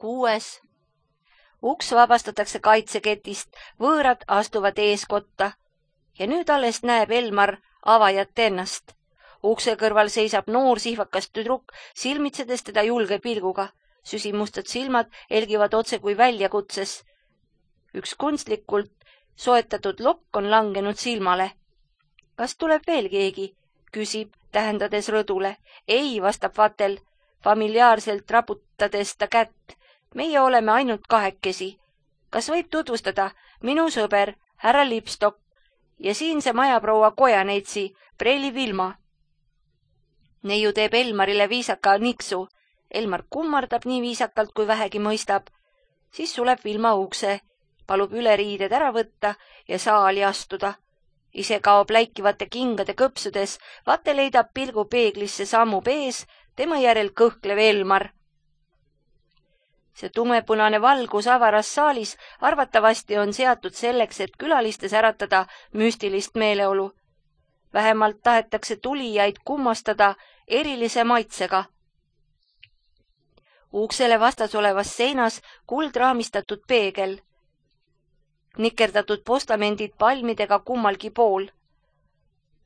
6. Uks vabastatakse kaitseketist, võõrad astuvad eeskotta ja nüüd alles näeb Elmar avajat ennast. Ukse kõrval seisab noor sihvakas tüdruk, silmitsedes teda julge pilguga. Süsimustad silmad elgivad otse kui väljakutses. Üks kunstlikult soetatud lokk on langenud silmale. Kas tuleb veel keegi? Küsib, tähendades rõdule. Ei, vastab Vatel, familiaarselt raputades ta kätt. Meie oleme ainult kahekesi. Kas võib tutvustada? Minu sõber, härra Lipstok ja siinse majaproua Kojaneitsi, Preili Vilma. Neiu teeb Elmarile viisaka niksu. Elmar kummardab nii viisakalt, kui vähegi mõistab. Siis suleb Vilma ukse, palub üleriided ära võtta ja saali astuda. Ise kaob läikivate kingade kõpsudes, Vatel leidab pilgu peeglisse sammub ees, tema järel kõhklev Elmar. See tumepunane valgus avaras saalis arvatavasti on seatud selleks, et külalistes äratada müstilist meeleolu. Vähemalt tahetakse tulijaid kummastada erilise maitsega. Uksele vastas olevas seinas kuldraamistatud peegel. Nikerdatud postamendid palmidega kummalgi pool.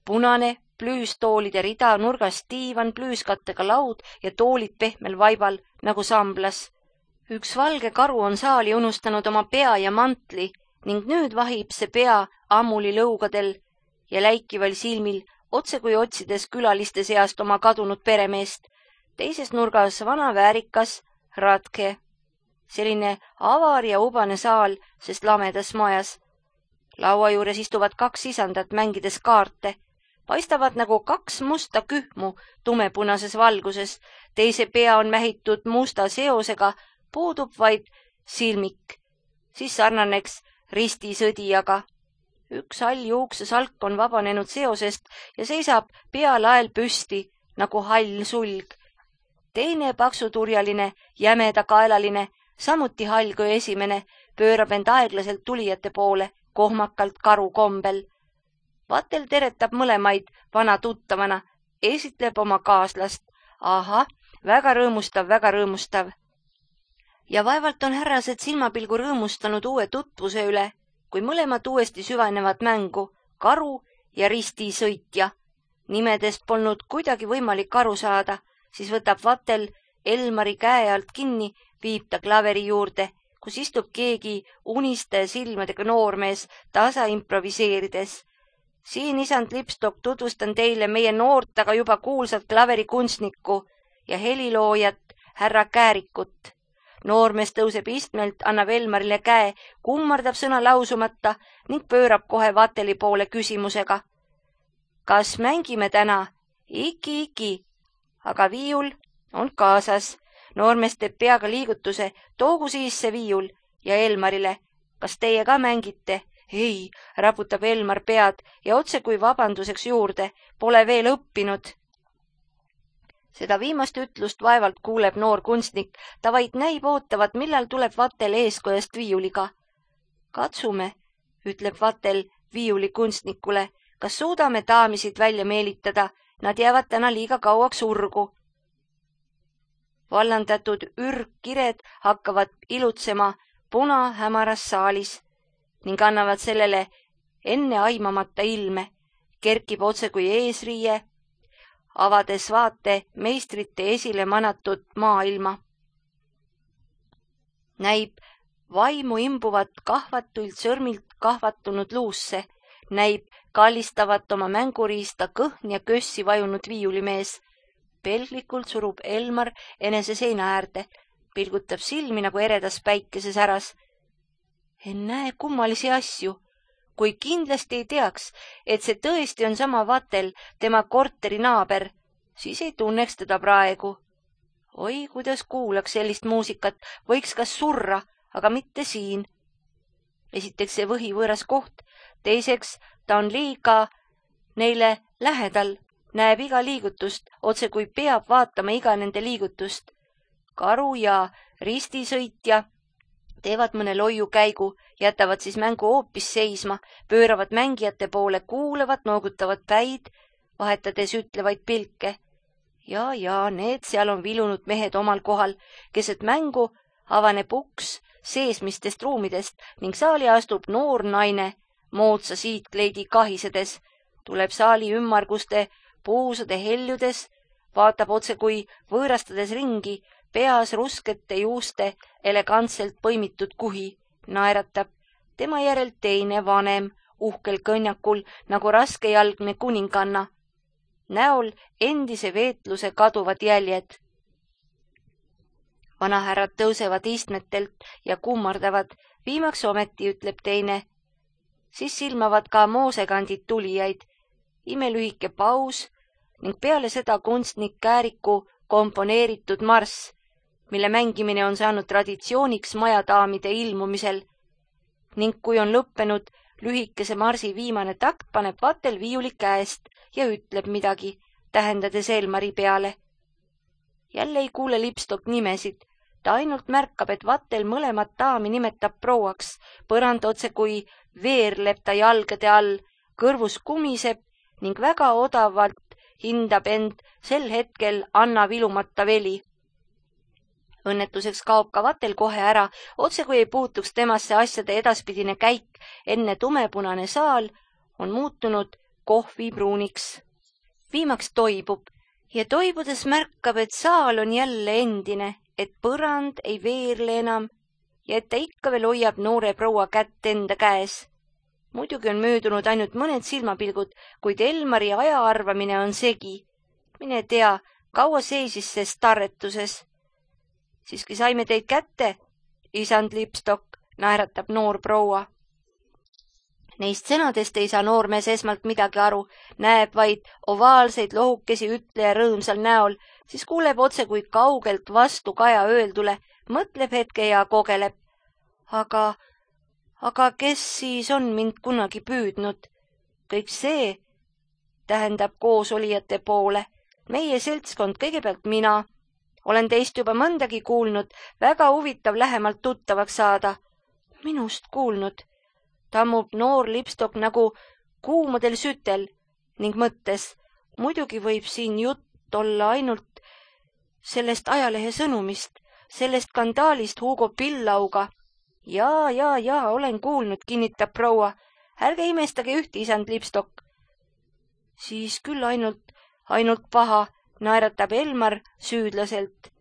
Punane plüüstoolide rida, nurgas diivan, plüüskattega laud ja toolid pehmel vaibal nagu samblas. Üks valge karu on saali unustanud oma pea ja mantli ning nüüd vahib see pea ammuli lõugadel ja läikival silmil, otse kui otsides külaliste seast oma kadunud peremeest. Teises nurgas vana väärikas Ratke. Selline avar ja ubane saal, sest lamedas majas. Laua juures istuvad 2 isandat mängides kaarte. Paistavad nagu 2 musta kühmu tumepunases valguses. Teise pea on mähitud musta seosega, puudub vaid silmik. Siis sarnaneks ristisõdijaga. Üks hall juuksesalk on vabanenud seosest ja seisab pealael püsti nagu hall sulg. Teine paksuturjaline, jämedakaelaline, samuti hall kui esimene, pöörab end aeglaselt tulijate poole, kohmakalt karu kombel. Vatel teretab mõlemaid vana tuttavana, esitleb oma kaaslast. Aha, väga rõõmustav, väga rõõmustav. Ja vaevalt on härrased silmapilgu rõõmustanud uue tutvuse üle, kui mõlemad uuesti süvenevad mängu, karu ja ristisõitja. Nimedest polnud kuidagi võimalik aru saada, siis võtab Vatel Elmari käe alt kinni, viib ta klaveri juurde, kus istub keegi uniste silmadega noormees tasa improviseerides. Siin isand Lipstok tutvustan teile meie noort, aga juba kuulsat klaverikunstnikku ja heliloojat härra Käärikut. Noormees tõuseb istmelt, annab Elmarile käe, kummardab sõna lausumata ning pöörab kohe Vateli poole küsimusega. Kas mängime täna? Iki. Aga viiul on kaasas. Noormees teeb peaga liigutuse, toogu siis see viiul ja Elmarile. Kas teie ka mängite? Ei, raputab Elmar pead ja otse kui vabanduseks juurde, pole veel õppinud. Seda viimast ütlust vaevalt kuuleb noor kunstnik, ta vaid näib ootavat, millal tuleb Vatel eeskojast viiuliga. Katsume, ütleb Vatel viiuli kunstnikule, kas suudame daamisid välja meelitada, nad jäävad täna liiga kauaks urgu. Vallandatud ürgkired hakkavad ilutsema punahämaras saalis ning annavad sellele enne aimamata ilme, kerkib otse kui eesriie, avades vaate meistrite esile manatud maailma. Näib vaimu imbuvat kahvatuilt sõrmilt kahvatunud luusse, näib kallistavat oma mänguriista kõhn ja kössi vajunud viiulimees. Pelglikult surub Elmar enese seina äärde, pilgutab silmi nagu eredas päikeses äras. En näe kummalisi asju, kui kindlasti ei teaks, et see tõesti on sama Vatel, tema korteri naaber, siis ei tunneks teda praegu. Oi, kuidas kuulaks sellist muusikat, võiks kas surra, aga mitte siin. Esiteks see võhivõõras koht, teiseks ta on liiga neile lähedal, näeb iga liigutust, otse kui peab vaatama iga nende liigutust. Karu ja ristisõitja teevad mõne loiu käigu, jätavad siis mängu hoopis seisma, pööravad mängijate poole, kuulevad, noogutavad päid, vahetades ütlevaid pilke. Ja, need seal on vilunud mehed omal kohal, keset mängu avaneb uks seesmistest ruumidest ning saali astub noor naine moodsa siitkleidi kahisedes, tuleb saali ümmarguste puusade heljudes, vaatab otse kui võõrastades ringi, peas ruskete juuste elegantselt põimitud kuhi, naeratab. Tema järel teine vanem, uhkel kõnjakul nagu raskejalgne kuninganna. Näol endise veetluse kaduvad jäljed. Vanahärrad tõusevad istmetelt ja kummardavad, viimaks ometi ütleb teine. Siis silmavad ka moosekandid tulijaid, imelühike paus ning peale seda kunstnik Kääriku komponeeritud marss, mille mängimine on saanud traditsiooniks majadaamide ilmumisel. Ning kui on lõppenud lühikese marsi viimane takt, paneb Vatel viiuli käest ja ütleb midagi, tähendades Elmari peale. Jälle ei kuule Lipstok nimesid. Ta ainult märkab, et Vatel mõlemat daami nimetab prouaks, põrand otse kui veerleb ta jalgade all, kõrvus kumiseb ning väga odavalt hindab end sel hetkel Anna vilumata veli. Õnnetuseks kaob ka Vatel kohe ära, otse kui ei puutuks temasse asjade edaspidine käik, enne tumepunane saal on muutunud kohvipruuniks. Viimaks toibub ja toibudes märkab, et saal on jälle endine, et põrand ei veerle enam ja et ta ikka veel hoiab noore proua kätt enda käes. Muidugi on möödunud ainult mõned silmapilgud, kuid Elmari aja arvamine on segi. Mine tea, kaua seisis see starretuses. Siiski saime teid kätte, isand Lipstok, naeratab noor proua. Neist sõnadest ei saa noormees esmalt midagi aru, näeb vaid ovaalseid lohukesi ütleja rõõmsal näol, siis kuuleb otse kui kaugelt vastu kaja öeldule, mõtleb hetke ja kogeleb. Aga kes siis on mind kunagi püüdnud? Kõik see tähendab koosolijate poole. Meie seltskond, kõigepealt mina. Olen teist juba mõndagi kuulnud, väga huvitav lähemalt tuttavaks saada. Minust kuulnud. Tammub noor Lipstok nagu kuumadel sütel ning mõttes, muidugi võib siin jutt olla ainult sellest ajalehe sõnumist, sellest skandaalist Hugo Pillauga. Jaa, olen kuulnud, kinnitab proua. Ärge imestage ühte, isand Lipstok. Siis küll ainult paha, naeratab Elmar süüdlaselt.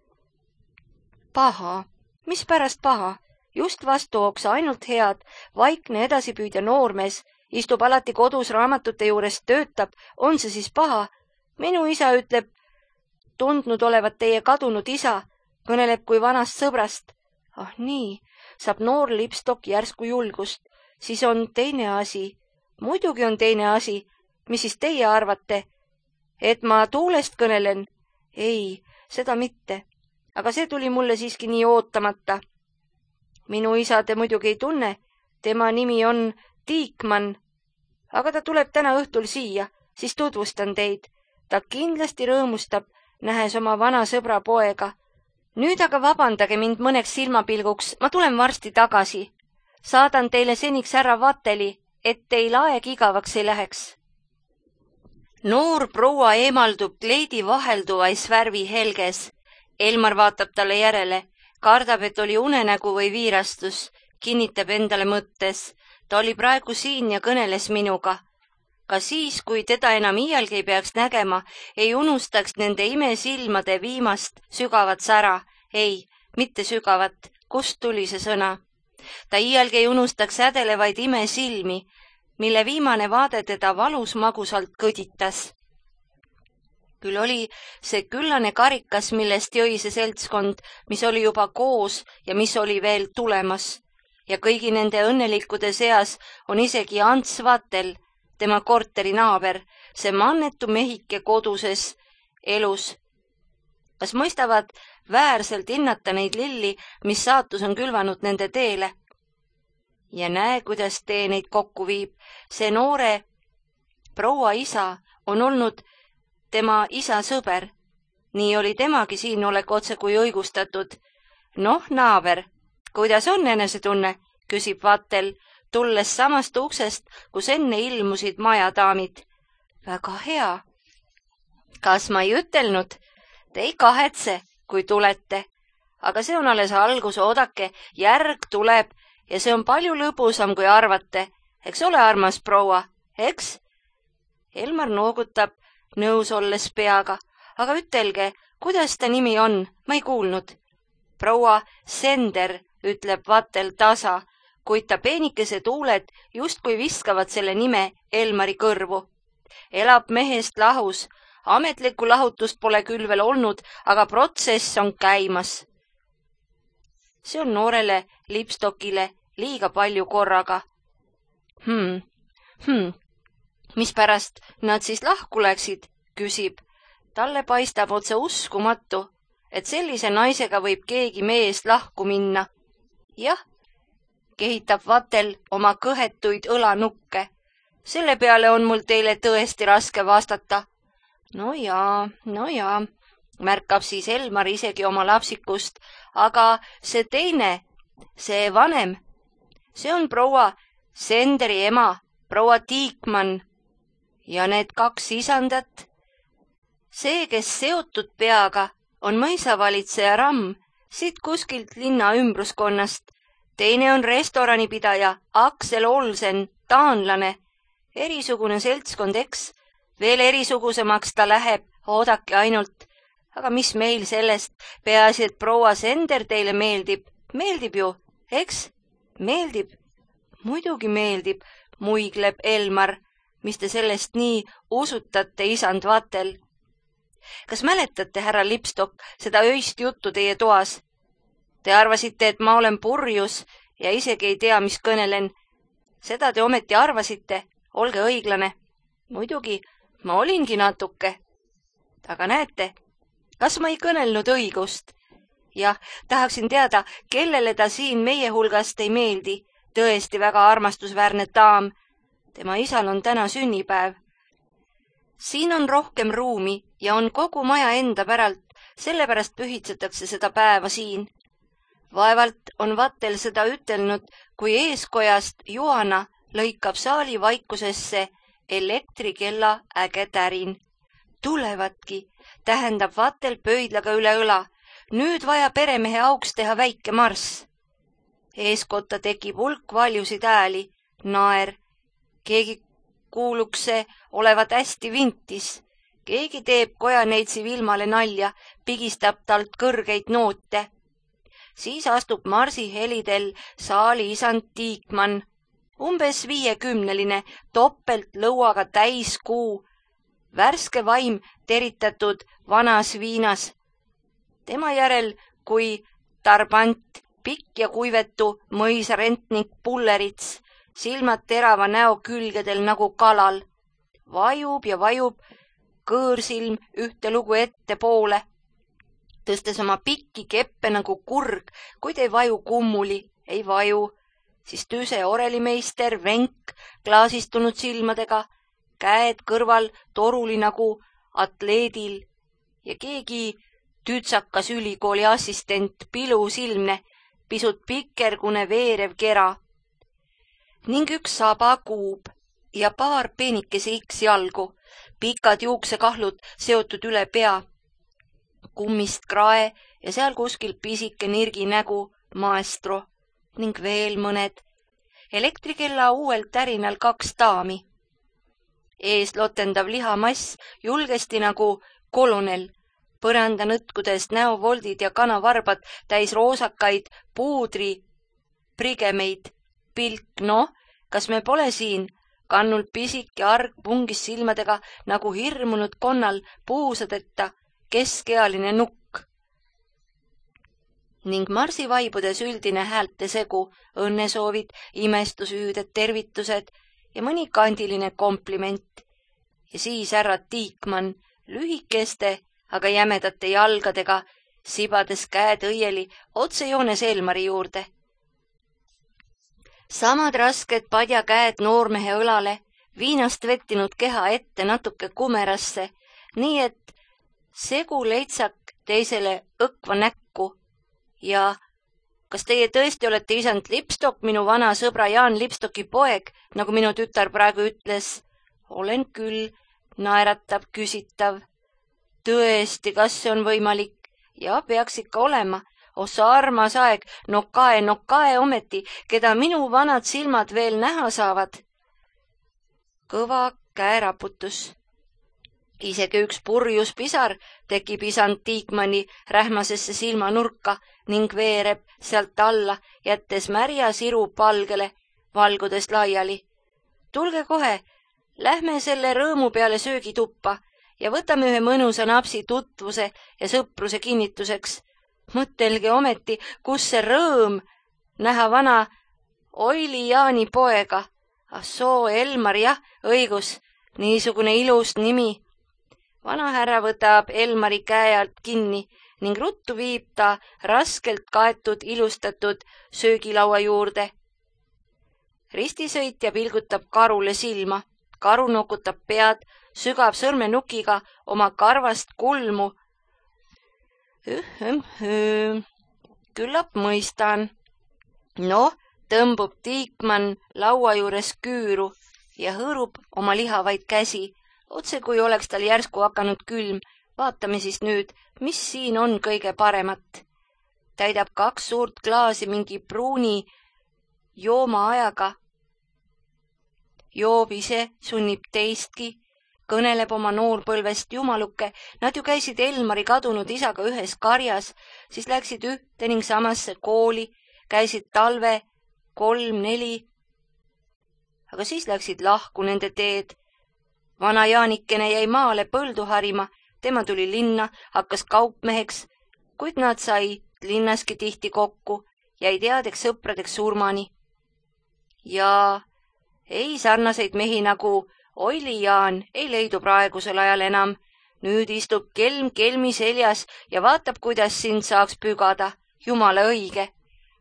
Paha? Mis pärast paha? Just vastuoksa, ainult head, vaikne edasipüüdja noormees, istub alati kodus raamatute juures, töötab, on see siis paha? Minu isa ütleb, tundnud olevat teie kadunud isa, kõneleb kui vanast sõbrast. Ah nii, saab noor Lipstok järsku julgust, siis on teine asi. Muidugi on teine asi, mis siis teie arvate? Et ma tuulest kõnelen? Ei, seda mitte, aga see tuli mulle siiski nii ootamata. Minu isa te muidugi ei tunne, tema nimi on Tiikmann, aga ta tuleb täna õhtul siia, siis tutvustan teid. Ta kindlasti rõõmustab, nähes oma vana sõbra poega. Nüüd aga vabandage mind mõneks silmapilguks, ma tulen varsti tagasi. Saadan teile seniks härra Vateli, et teil aeg igavaks ei läheks. Noor proua eemaldub kleidi vahelduvais värvi helges. Elmar vaatab talle järele. Kardab, et oli unenägu või viirastus, kinnitab endale mõttes. Ta oli praegu siin ja kõneles minuga. Ka siis, kui teda enam iialgi ei peaks nägema, ei unustaks nende imesilmade viimast sügavat sära. Ei, mitte sügavat. Kust tuli see sõna? Ta iialgi ei unustaks hädelevaid imesilmi, mille viimane vaade teda valus magusalt kõditas. Küll oli see küllane karikas, millest jõi see seltskond, mis oli juba koos ja mis oli veel tulemas. Ja kõigi nende õnnelikkude seas on isegi Ants Vatel, tema korteri naaber, see mannetu mehike koduses elus. Kas mõistavad väärselt hinnata neid lilli, mis saatus on külvanud nende teele? Ja näe, kuidas tee neid kokku viib. See noore proua isa on olnud tema isa sõber. Nii oli temagi siin olek otse kui õigustatud. Noh, naaber, kuidas on enesetunne, küsib Vatel, tulles samast uksest, kus enne ilmusid majadaamid. Väga hea. Kas ma ei ütelnud? Te ei kahetse, kui tulete. aga see on alles algus, oodake, järg tuleb ja see on palju lõbusam, kui arvate. Eks ole, armas proua, eks? Elmar noogutab nõus olles peaga, aga ütelge, kuidas ta nimi on, ma ei kuulnud. Proua Sender, ütleb Vatel tasa, kuid ta peenikese tuuled justkui viskavad selle nime Elmari kõrvu. Elab mehest lahus, ametlikku lahutust pole küll veel olnud, aga protsess on käimas. See on noorele Lipstokile liiga palju korraga. Mispärast nad siis lahku läksid, küsib. Talle paistab otse uskumatu, et sellise naisega võib keegi meest lahku minna. Jah, kehitab Vatel oma kõhetuid õlanukke. Selle peale on mul teile tõesti raske vastata. No jaa, märkab siis Elmar isegi oma lapsikust, aga see teine, see vanem, see on proua Senderi ema, proua Tiikmann. Ja need kaks isandat. See, kes seotud peaga, on mõisavalitseja Ramm, siit kuskilt linna ümbruskonnast. Teine on restoranipidaja Aksel Olsen, taanlane. Erisugune seltskond, eks? Veel erisugusemaks ta läheb, oodake ainult. Aga mis meil sellest, peaasi, et proua Sender teile meeldib. Meeldib ju, eks? Meeldib. Muidugi meeldib, muigleb Elmar. Mis te sellest nii usutate, isand Vatel? Kas mäletate, härra Lipstok, seda öist juttu teie toas? Te arvasite, et ma olen purjus ja isegi ei tea, mis kõnelen. Seda te ometi arvasite, olge õiglane. Muidugi, ma olingi natuke. Aga näete, kas ma ei kõnelnud õigust? Jah, tahaksin teada, kellele ta siin meie hulgast ei meeldi. Tõesti väga armastusväärne daam. Tema isal on täna sünnipäev. Siin on rohkem ruumi ja on kogu maja enda päralt, sellepärast pühitsetakse seda päeva siin. Vaevalt on Vatel seda ütelnud, kui eeskojast Joana lõikab saali vaikusesse elektrikella äge tärin. Tulevatki, tähendab Vatel pöidlaga üle õla. Nüüd vaja peremehe auks teha väike marss. Eeskotta tekib hulk valjusid ääli, naer. Keegi kuulukse olevat hästi vintis. Keegi teeb kojaneitsi Vilmale nalja, pigistab talt kõrgeid noote. Siis astub marsi helidel saali isand Tiikmann. Umbes 50-line, topelt lõuaga täiskuu. Värske vaim teritatud vanas viinas. Tema järel kui tarbant, pikk ja kuivetu mõisarentnik Pullerits, silmad terava näo külgedel nagu kalal. Vajub ja vajub kõõrsilm ühte lugu ettepoole, tõstes oma pikki keppe nagu kurg, kuid ei vaju kummuli, ei vaju. Siis tüse orelimeister Venk klaasistunud silmadega, käed kõrval toruli nagu atleedil ja keegi tütsakas ülikooli assistent pilusilmne, pisut pikergune veerev kera. Ning üks sabakuub ja paar peenikese X-jalgu, pikad juuksekahlud seotud üle pea, kummist krae ja seal kuskil pisike nirgi nägu maestro ning veel mõned. Elektrikella uuel tärinal 2 daami. Ees lotendav lihamass julgesti nagu kolonel, põranda nõtkudest näovoldid ja kanavarbad täis roosakaid puudri prigemeid. Pilk, kas me pole siin? Kannul pisik ja arg pungis silmadega nagu hirmunud konnal puusadeta keskealine nukk. Ning marsivaibudes üldine häälte segu, õnnesoovid, imestusüüded, tervitused ja mõni kandiline kompliment. Ja siis härra Tiikmann lühikeste, aga jämedate jalgadega, sibades käed õieli otsejoones Elmari juurde. Samad rasked padjakäed noormehe õlale, viinast vettinud keha ette natuke kumerasse, nii et segu leitsak teisele õkva näkku. Ja kas teie tõesti olete isand Lipstok, minu vana sõbra Jaan Lipstoki poeg, nagu minu tütar praegu ütles? Olen küll, naeratab küsitav. Tõesti, kas see on võimalik? Ja peaks ikka olema. Ossa armas aeg, no kae ometi, keda minu vanad silmad veel näha saavad. Kõva käeraputus. Isegi üks purjus pisar tekib isand Tiikmanni rähmasesse silmanurka ning veereb sealt alla, jättes märja siru palgele, valgudes laiali. Tulge kohe, lähme selle rõõmu peale söögituppa ja võtame ühe mõnusa napsi tutvuse ja sõpruse kinnituseks. Mõtelge ometi, kus see rõõm näha vana Oili Jaani poega. Soo Elmar, jah, õigus, niisugune ilus nimi. Vanahärra võtab Elmari käe alt kinni ning ruttu viib ta raskelt kaetud ilustatud söögilaua juurde. Ristisõitja pilgutab karule silma, karu nokutab pead, sügab sõrmenukiga oma karvast kulmu. Küllap mõistan. Noh, tõmbub Tiikmann laua juures küüru ja hõõrub oma lihavaid käsi, otse kui oleks tal järsku hakanud külm. Vaatame siis nüüd, mis siin on kõige paremat. Täidab 2 suurt klaasi mingi pruuni joomaajaga. Joob ise, sunnib teistki, kõneleb oma noorpõlvest jumaluke. Nad ju käisid Elmari kadunud isaga ühes karjas, siis läksid ühte ning samasse kooli, käisid talve 3-4, aga siis läksid lahku nende teed. Vana Jaanikene jäi maale põldu harima, tema tuli linna, hakkas kaupmeheks, kuid nad sai linnaski tihti kokku, jäid headeks sõpradeks surmani. Ja ei sarnaseid mehi nagu Oili Jaan ei leidu praegusel ajal enam. Nüüd istub kelm kelmi seljas ja vaatab, kuidas sind saaks pügada. Jumala õige.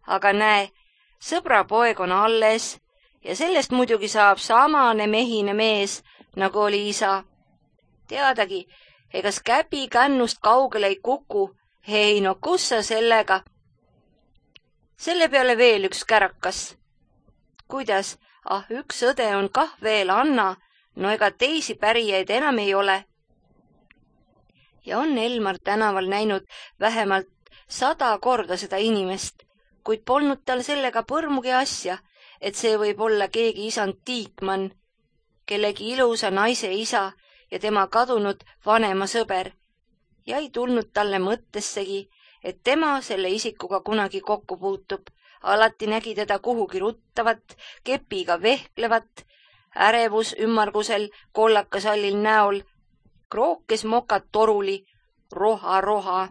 Aga näe, sõbrapoeg on alles ja sellest muidugi saab samane mehine mees, nagu oli isa. Teadagi, egas käbi kännust kaugele ei kuku. Hei, no kus sa sellega? Selle peale veel üks kärakas. Kuidas? Üks õde on kah veel, Anna. No ega teisi pärijaid enam ei ole. Ja on Elmar tänaval näinud vähemalt 100 korda seda inimest, kuid polnud tal sellega põrmugi asja, et see võib olla keegi isand Tiikmann, kellegi ilusa naise isa ja tema kadunud vanema sõber, ja ei tulnud talle mõttessegi, et tema selle isikuga kunagi kokku puutub. Alati nägi teda kuhugi ruttavat, kepiga vehklevat, ärevus ümmargusel kollakasallil näol, krookes mokad toruli, roha.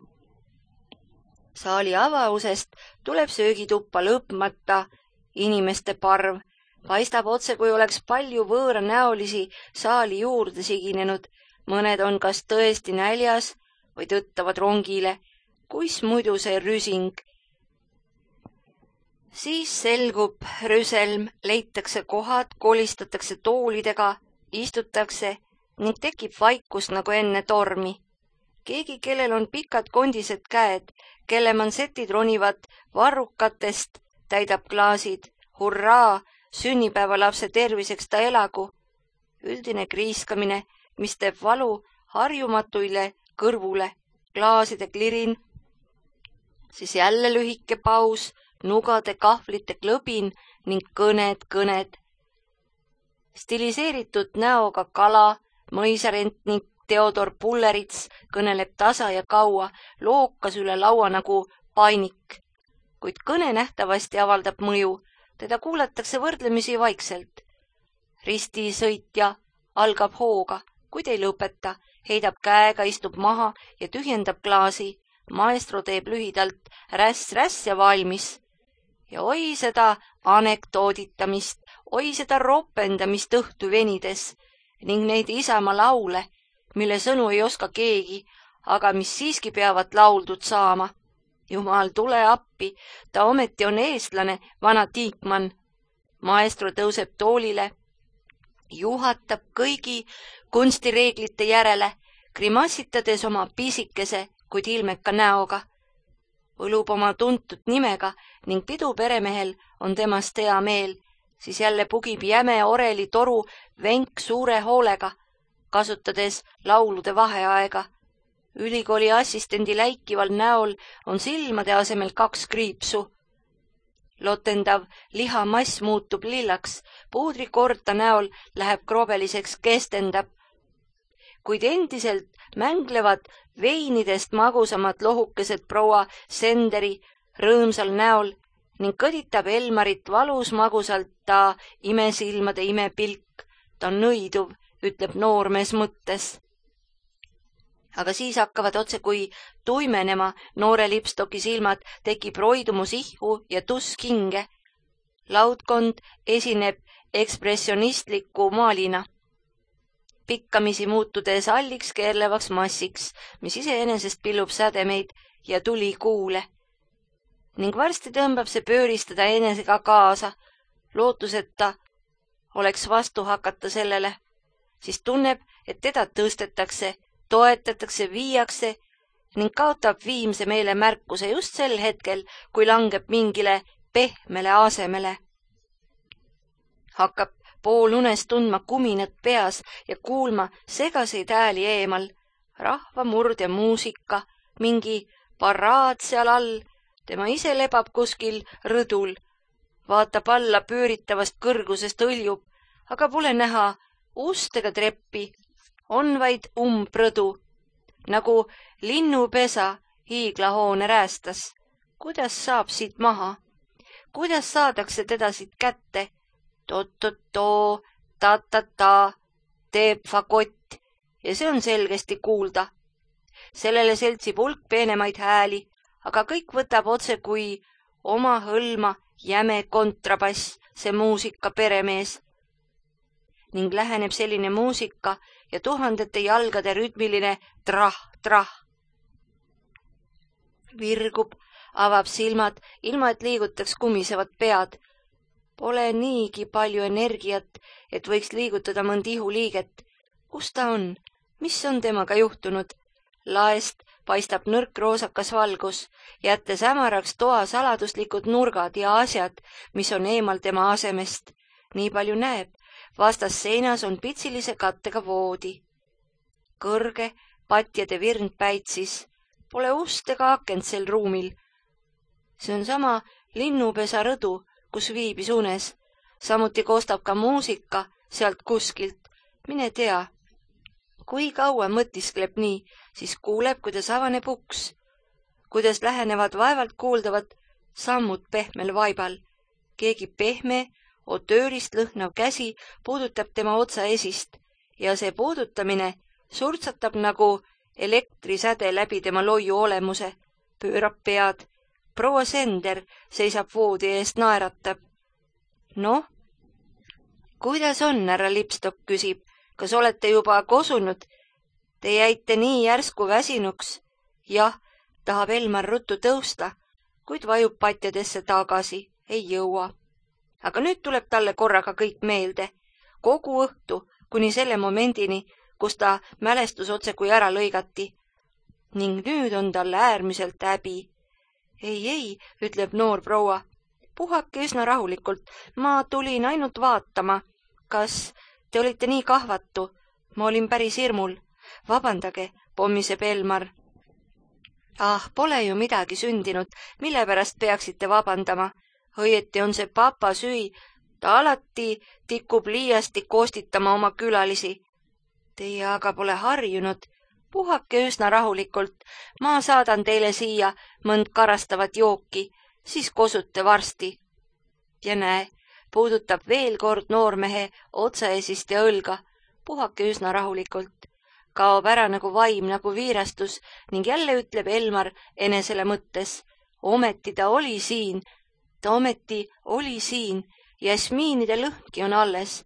Saali avausest tuleb söögituppa lõpmata inimeste parv. Paistab otse, kui oleks palju võõranäolisi saali juurde siginenud. Mõned on kas tõesti näljas või tõttavad rongile. Kuis muidu see rüsing? Siis selgub rüselm, leitakse kohad, kolistatakse toolidega, istutakse ning tekib vaikus nagu enne tormi. Keegi, kellel on pikad kondised käed, kelle mansetid ronivad varrukatest, täidab klaasid. Hurraa, sünnipäevalapse terviseks ta elagu. Üldine kriiskamine, mis teeb valu harjumatuile kõrvule, klaaside klirin. Siis jälle lühike paus, nugade kahvlite klõbin ning kõned. Stiliseeritud näoga kala, mõisarent ning Theodor Pullerits kõneleb tasa ja kaua, lookas üle laua nagu painik. Kuid kõne nähtavasti avaldab mõju, teda kuulatakse võrdlemisi vaikselt. Ristisõitja algab hooga, kuid ei lõpeta, heidab käega, istub maha ja tühjendab klaasi. Maestro teeb lühidalt räss ja valmis. Ja oi seda anekdooditamist, oi seda ropendamist õhtu venides ning neid isamaa laule, mille sõnu ei oska keegi, aga mis siiski peavad lauldud saama. Jumal, tule appi, ta ometi on eestlane, vana Tiikmann. Maestro tõuseb toolile, juhatab kõigi kunstireeglite järele, grimassitades oma pisikese, kuid ilmeka näoga. Võlub oma tuntud nimega ning pidu peremehel on temast hea meel, siis jälle pugib jäme oreli toru venk suure hoolega, kasutades laulude vaheaega. Ülikooli assistendi läikival näol on silmade asemel 2 kriipsu. Lotendav lihamass muutub lillaks, puudrikorta näol läheb krobeliseks, kestendab. Kuid endiselt mänglevad veinidest magusamad lohukesed proua Senderi rõõmsal näol ning kõditab Elmarit valus magusalt ta imesilmade imepilk. Ta on nõiduv, ütleb noormees mõttes. Aga siis hakkavad otse kui tuimenema noore Lipstocki silmad, tekib roidumus ihku ja tusk hinge. Laudkond esineb ekspressionistliku maalina, pikkamisi muutudes alliks keerlevaks massiks, mis iseenesest pillub sädemeid ja tuli kuule. Ning varsti tõmbab see pööristada enesega kaasa, lootuseta oleks vastu hakata sellele, siis tunneb, et teda tõstetakse, toetatakse, viiakse ning kaotab viimse meele märkuse just sel hetkel, kui langeb mingile pehmele asemele. Hakkab poolunes tundma kuminat peas ja kuulma segaseid hääli eemal, rahvamurd ja muusika, mingi paraad seal all, tema ise lebab kuskil rõdul, vaatab alla pööritavast kõrgusest õljub, aga pole näha ust ega treppi, on vaid umbrõdu, nagu linnupesa hiiglahoone räästas. Kuidas saab siit maha? Kuidas saadakse teda siit kätte? To-to-to, ta-ta-ta, teeb fakott ja see on selgesti kuulda. Sellele seltsib hulk peenemaid hääli, aga kõik võtab otse kui oma hõlma jäme kontrabass, see muusika peremees. Ning läheneb selline muusika ja tuhandete jalgade rütmiline trah-trah. Virgub, avab silmad, ilma et liigutaks kumisevad pead. Pole niigi palju energiat, et võiks liigutada mõnd ihuliiget. Kus ta on? Mis on temaga juhtunud? Laest paistab nõrk roosakas valgus, jättes hämaraks toa saladuslikud nurgad ja asjad, mis on eemal tema asemest. Nii palju näeb. Vastas seinas on pitsilise kattega voodi. Kõrge patjade virnd päitsis. Pole ust ega akent sel ruumil. See on sama linnupesa rõdu, kus viibis unes. Samuti koostab ka muusika sealt kuskilt. Mine tea. Kui kaua mõtiskleb nii, siis kuuleb, kuidas avaneb uks. Kuidas lähenevad vaevalt kuuldavad sammud pehmel vaibal. Keegi pehme, otöörist lõhnav käsi puudutab tema otsa esist ja see puudutamine surtsatab nagu elektrisäde läbi tema loiu olemuse, pöörab pead. Proua Sender seisab voodi eest, naeratab. Noh, kuidas on, härra Lipstock, küsib. Kas olete juba kosunud? Te jäite nii järsku väsinuks. Jah, tahab Elmar ruttu tõusta, kuid vajub patjadesse tagasi, ei jõua. Aga nüüd tuleb talle korraga kõik meelde. Kogu õhtu, kuni selle momendini, kus ta mälestus otse kui ära lõigati. Ning nüüd on talle äärmiselt häbi. Ei, ütleb noor proua. Puhake üsna rahulikult. Ma tulin ainult vaatama. Kas te olite nii kahvatu? Ma olin päris hirmul. Vabandage, pommiseb Elmar. Pole ju midagi sündinud. Mille pärast peaksite vabandama? Õieti on see papa süü. Ta alati tikub liiasti koostitama oma külalisi. Teie aga pole harjunud. Puhake üsna rahulikult. Ma saadan teile siia mõnd karastavat jooki, siis kosute varsti. Ja näe, puudutab veel kord noormehe otsaesist ja õlga. Puhake üsna rahulikult. Kaob ära nagu vaim, nagu viirastus ning jälle ütleb Elmar enesele mõttes. Ometi ta oli siin. Ta ometi oli siin. Jasmiinide lõhnki on alles.